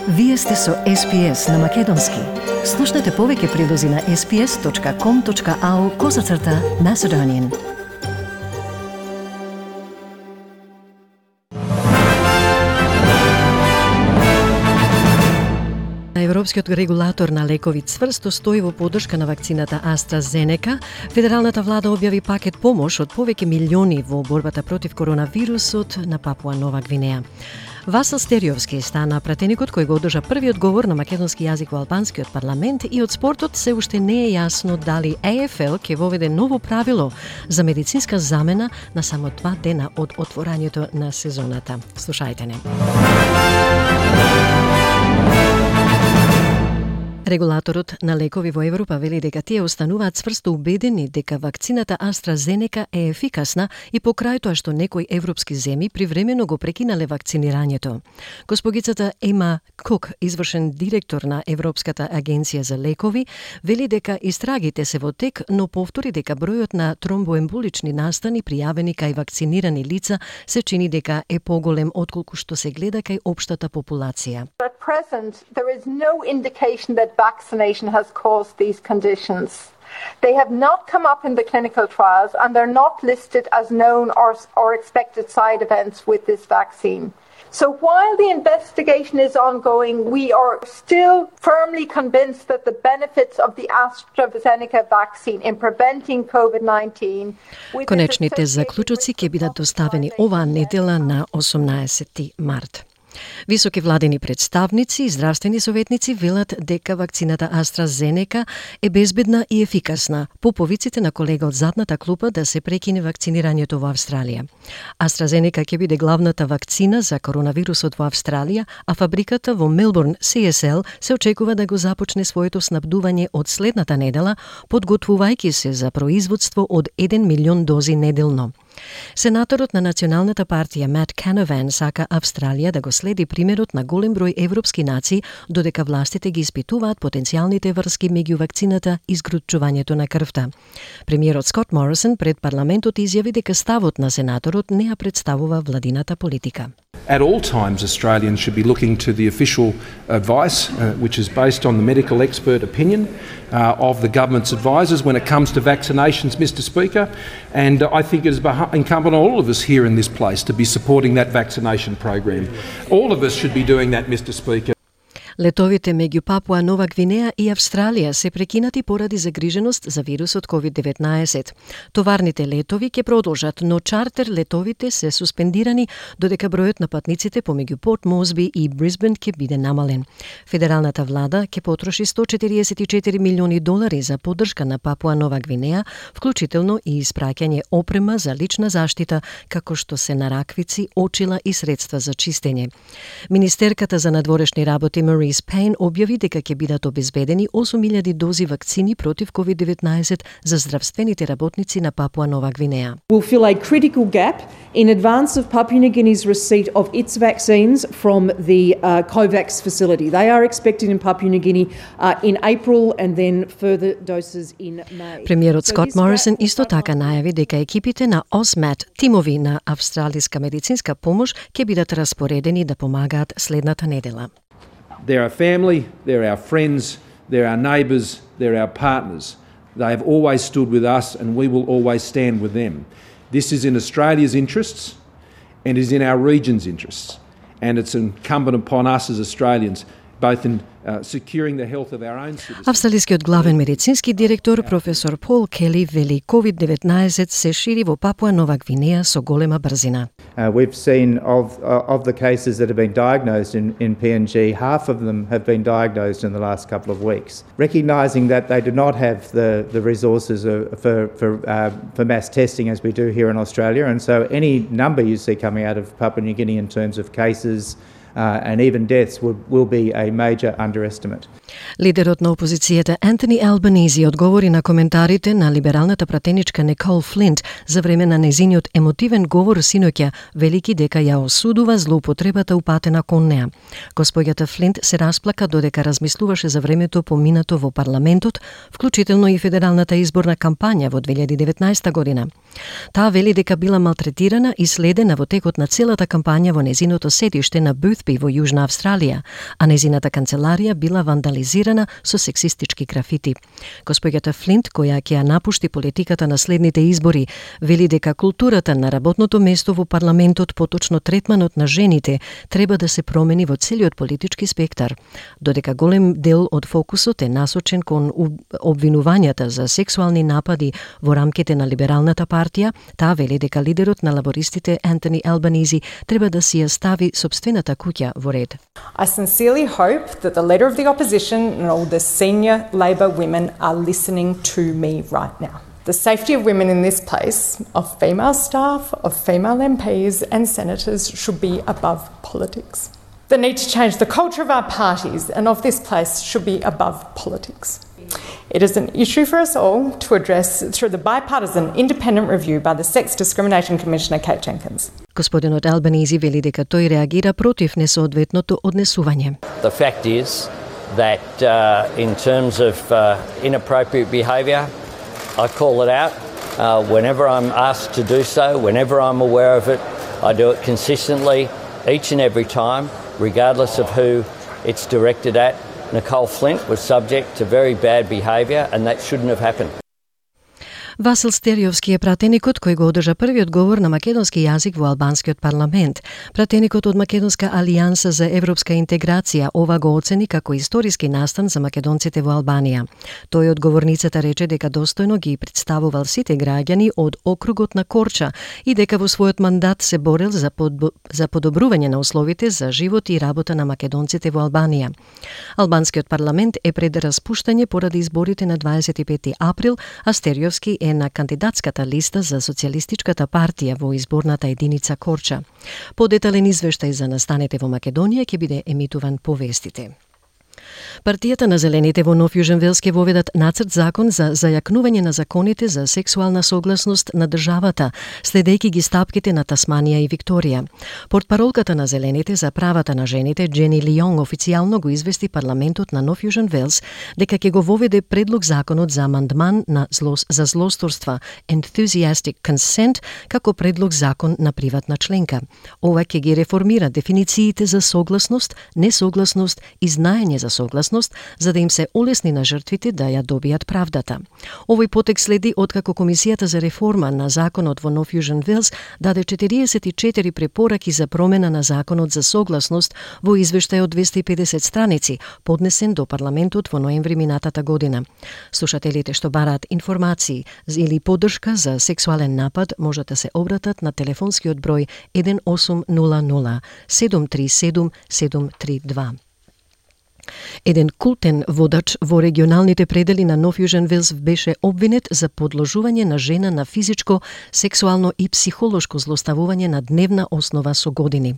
Вие сте со SPS на Македонски. Слушнете повеќе прилози на sps.com.au/Macedonian. Европскиот регулатор на лекови цврсто стои во поддршка на вакцината AstraZeneca. Федералната влада објави пакет помош од повеќе милиони во борбата против коронавирусот на Папуа Нова Гвинеја. Васил Стериовски стана пратеникот кој го одржа првиот говор на македонски јазик во албанскиот парламент, и од спортот се уште не е јасно дали AFL ќе воведе ново правило за медицинска замена на само 2 дена од отворањето на сезоната. Слушајте не. Регулаторот на лекови во Европа вели дека тие остануваат цврсто убедени дека вакцината AstraZeneca е ефикасна и покрај тоа што некои европски земји привремено го прекинале вакцинирањето. Госпогицата Ема Кук, извршен директор на Европската агенција за лекови, вели дека истрагите се во тек, но повтори дека бројот на тромбоемболични настани пријавени кај вакцинирани лица се чини дека е поголем отколку што се гледа кај општата популација. At present, there is no indication that vaccination has caused these conditions. They have not come up in the clinical trials and they're not listed as known or expected side events with this vaccine. So while the investigation is ongoing, we are still firmly convinced that the benefits of the AstraZeneca vaccine in preventing COVID-19... Конечните заклучоци ќе бидат доставени оваа недела на 18 март. Високи владени представници и здравствени советници велат дека вакцината AstraZeneca е безбедна и ефикасна, по повиците на колега од задната клупа да се прекине вакцинирањето во Австралија. AstraZeneca ќе биде главната вакцина за коронавирусот во Австралија, а фабриката во Мелбурн, CSL, се очекува да го започне своето снабдување од следната недела, подготвувајќи се за производство од 1 милион дози неделно. Сенаторот на Националната партија Мат Канован сака Австралија да го следи примерот на голем број европски нации, додека властите ги испитуваат потенцијалните врски меѓу вакцината и згручувањето на крвта. Премиерот Скот Морисон пред парламентот изјави дека ставот на сенаторот не ја представува владината политика. At all times, Australians should be looking to the official advice, which is based on the medical expert opinion of the government's advisors when it comes to vaccinations, Mr. Speaker. And I think it is incumbent on all of us here in this place to be supporting that vaccination program. All of us should be doing that, Mr. Speaker. Летовите меѓу Папуа Нова Гвинеја и Австралија се прекинати поради загриженост за вирусот COVID-19. Товарните летови ќе продолжат, но чартер летовите се суспендирани додека бројот на патниците помеѓу Порт Мозби и Брисбен ќе биде намален. Федералната влада ќе потроши $144 милиони за поддршка на Папуа Нова Гвинеја, вклучително и испраќање опрема за лична заштита, како што се нараквици, очила и средства за чистење. Министерката за надворешни работи Maurice Payne објави дека ќе бидат обезбедени 8.000 дози вакцини против COVID-19 за здравствените работници на Папуа Нова Гвинеја. Will fill a critical gap in advance of Papua New Guinea's receipt of its vaccines from the COVAX facility. They are expected in Papua New Guinea in April and then further doses in May. Премиерот Скот Морисон исто така најави дека екипите на OSMAT, тимови на австралиска медицинска помош, ќе бидат распоредени да помагаат следната недела. They're our family, they're our friends, they're our neighbours, they're our partners. They have always stood with us and we will always stand with them. This is in Australia's interests and is in our region's interests. And it's incumbent upon us as Australians, both in securing the health of our own citizens. Австралискиот главен медицински директор професор Пол Кели вели COVID-19 се шири во Папуа Нова Гвинеја со голема брзина. We've seen of the cases that have been diagnosed in PNG, half of them have been diagnosed in the last couple of weeks. Recognising that they do not have the resources for mass testing as we do here in Australia, and so any number you see coming out of Papua New Guinea in terms of cases and even deaths will be a major underestimate. Лидерот на опозицијата Антони Албанизи одговори на коментарите на либералната пратеничка Никол Флинт за време на незиниот емотивен говор синоќа, велики дека ја осудува злоупотребата упатена кон неа. Госпоѓата Флинт се расплака додека размислуваше за времето поминато во парламентот, вклучително и федералната изборна кампања во 2019 година. Таа вели дека била малтретирана и следена во текот на целата кампања во незиното седиште на Бoothby во Јужна Австралија, а незината канцеларија била вандализирана со сексистички графити. Госпоѓата Флинт, која ќе ја напушти политиката на следните избори, вели дека културата на работното место во парламентот, поточно третманот на жените, треба да се промени во целиот политички спектар. Додека голем дел од фокусот е насочен кон обвинувањата за сексуални напади во рамките на либералната партија, таа вели дека лидерот на лабористите Антони Албанизи треба да си ја стави собствената куќа во ред. I sincerely hope that the Leader of the Opposition and all the senior Labor women are listening to me right now. The safety of women in this place, of female staff, of female MPs and senators, should be above politics. The need to change the culture of our parties and of this place should be above politics. It is an issue for us all to address through the bipartisan independent review by the Sex Discrimination Commissioner Kate Jenkins. Господинот Албанизи вели дека тој реагира против несоодветното однесување. The fact is that in terms of inappropriate behaviour, I call it out whenever I'm asked to do so, whenever I'm aware of it. I do it consistently, each and every time, regardless of who it's directed at. Nicole Flint was subject to very bad behaviour and that shouldn't have happened. Васил Стериовски е пратеникот кој го одржа првиот говор на македонски јазик во албанскиот парламент. Пратеникот од Македонска алијанса за европска интеграција ова го оцени како историски настан за македонците во Албанија. Тој од говорницата рече дека достојно ги представувал сите граѓани од округот на Корча и дека во својот мандат се борел за подобрување на условите за живот и работа на македонците во Албанија. Албанскиот парламент е пред распуштање поради изборите на 25 април, а Стериовски е на кандидатската листа за Социјалистичката партија во изборната единица Корча. Подетален извештај за настаните во Македонија ќе биде емитуван по вестите. Партијата на Зелените во Нов Јужен Велс ќе воведат нацрт закон за зајакнување на законите за сексуална согласност на државата, следејќи ги стапките на Тасманија и Викторија. Портпаролката на Зелените за правата на жените Джени Лионг официјално го извести парламентот на Нов Јужен Велс дека ќе го воведе предлог законот за амандман за злосторства Enthusiastic Consent како предлог закон на приватна членка. Ова ќе ги реформира дефинициите за согласност, несогласност и знаење за согласност, за да им се олесни на жртвите да ја добијат правдата. Овој потек следи откако Комисијата за реформа на законот во Нов Јужен Велс даде 44 препораки за промена на законот за согласност во извештај од 250 страници, поднесен до парламентот во ноември минатата година. Слушателите што бараат информации или поддршка за сексуален напад можат да се обратат на телефонскиот број 1800 737 732. Еден култен водач во регионалните предели на Нов Јужен Велс беше обвинет за подложување на жена на физичко, сексуално и психолошко злоставување на дневна основа со години.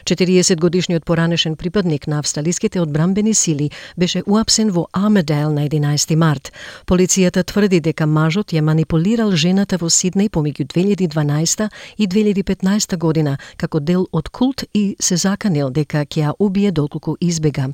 40-годишниот поранешен припадник на австралиските одбранбени сили беше уапсен во Армидейл на 11 март. Полицијата тврди дека мажот ја манипулирал жената во Сиднеј помеѓу 2012 и 2015 година како дел од култ и се заканил дека ќе ја убие доколку избега.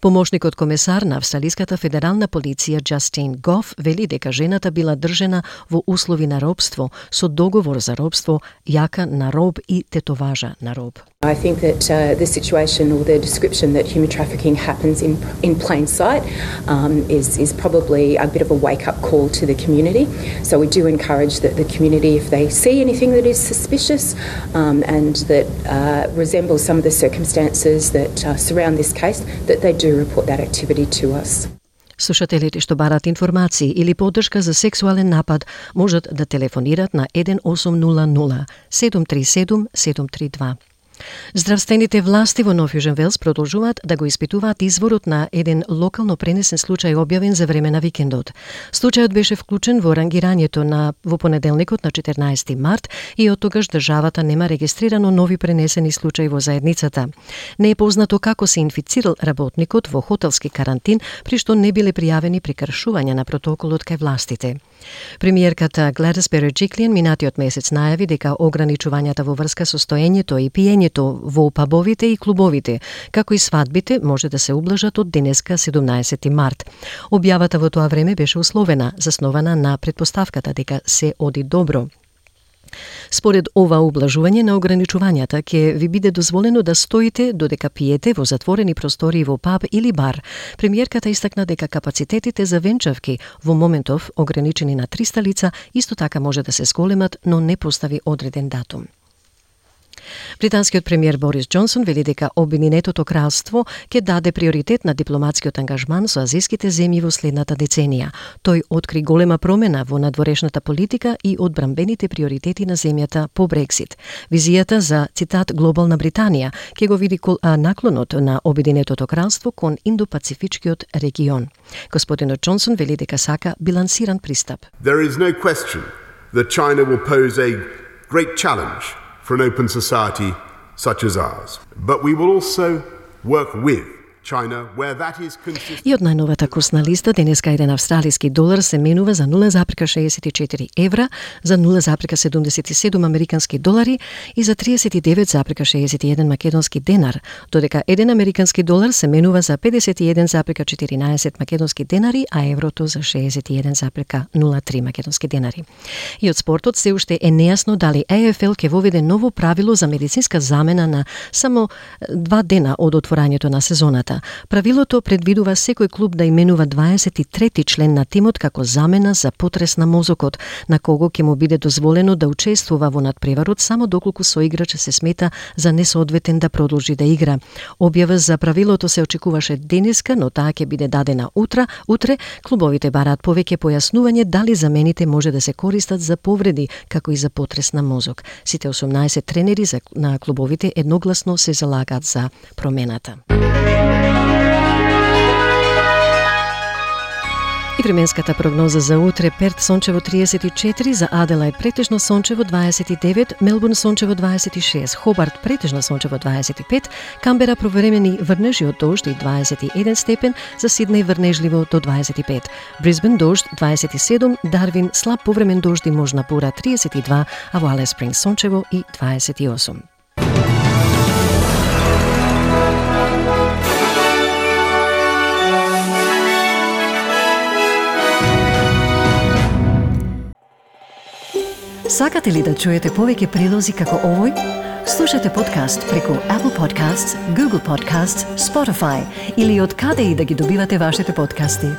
Помошникот комесар на Австралиската федерална полиција Джастин Гоф вели дека жената била држена во услови на робство со договор за робство, јака на роб и тетоважа на роб. I think that the situation or the description that human trafficking happens in plain sight is probably a bit of a wake-up call to the community. So we do encourage that the community, if they see anything that is suspicious and that resembles some of the circumstances that surround this case, that they do report that activity to us. Слушателите што барат информации или поддршка за сексуален напад можат да телефонират на 1800 737 732. Здравствените власти во Нов Јужен Велс продолжуваат да го испитуваат изворот на еден локално пренесен случај објавен за време на викендот. Случајот беше вклучен во рангирањето во понеделникот на 14 март и од тогаш државата нема регистрирано нови пренесени случаи во заедницата. Не е познато како се инфицирал работникот во хотелски карантин, при што не биле пријавени прекршувања на протоколот кај властите. Премиерката Гледис Береджиклиан минатиот месец најави дека ограничувањата во врска со стоењето и пиењето во пабовите и клубовите, како и свадбите, може да се ублажат од денеска 17 март. Објавата во тоа време беше условена, заснована на предпоставката дека се оди добро. Според ова ублажување на ограничувањата ќе ви биде дозволено да стоите додека пиете во затворени простории во паб или бар. Премиерката истакна дека капацитетите за венчавки во моментов ограничени на 300 лица исто така може да се зголемат, но не постави одреден датум. Британскиот премиер Борис Џонсон вели дека Обединетото кралство ќе даде приоритет на дипломатскиот ангажман со азиските земји во следната деценија. Тој откри голема промена во надворешната политика и одбранбените приоритети на земјата по Брексит. Визијата за, цитат, глобална Британија ќе го види наклонот на Обединетото кралство кон Индо-Пацифичкиот регион. Господинот Џонсон вели дека сака билансиран пристап. There is no question that China will pose a great challenge for an open society such as ours. But we will also work with China where that is consistent. И од најновата курсна листа денеска еден австралиски долар се менува за 0,64 евра, за 0,77 американски долари и за 39,61 македонски денар, додека еден американски долар се менува за 51,14 македонски денари, а еврото за 61,03 македонски денари. И од спортот се уште е нејасно дали ЕФЛ ќе воведе ново правило за медицинска замена на само 2 дена од отворањето на сезоната. Правилото предвидува секој клуб да именува 23-ти член на тимот како замена за потрес на мозокот, на кого ќе му биде дозволено да учествува во надпреварот само доколку соиграч се смета за несоодветен да продолжи да игра. Објава за правилото се очекуваше денеска, но таа ќе биде дадена утре. Клубовите бараат повеќе појаснување дали замените може да се користат за повреди, како и за потрес на мозок. Сите 18 тренери на клубовите едногласно се залагаат за промената. И временската прогноза за утре: Перт сончево 34, за Аделајд претежно сончево 29, Мелбурн сончево 26, Хобарт претежно сончево 25, Камбера повремени врнежи од дожд и 21 степен, за Сиднеј врнежливо до 25, Брисбен дожд 27, Дарвин слаб повремен дожд и можна бура 32, а во Алис Спрингс сончево и 28. Сакате ли да чуете повеќе прилози како овој? Слушате подкаст преку Apple Podcasts, Google Podcasts, Spotify или од каде и да ги добивате вашите подкасти.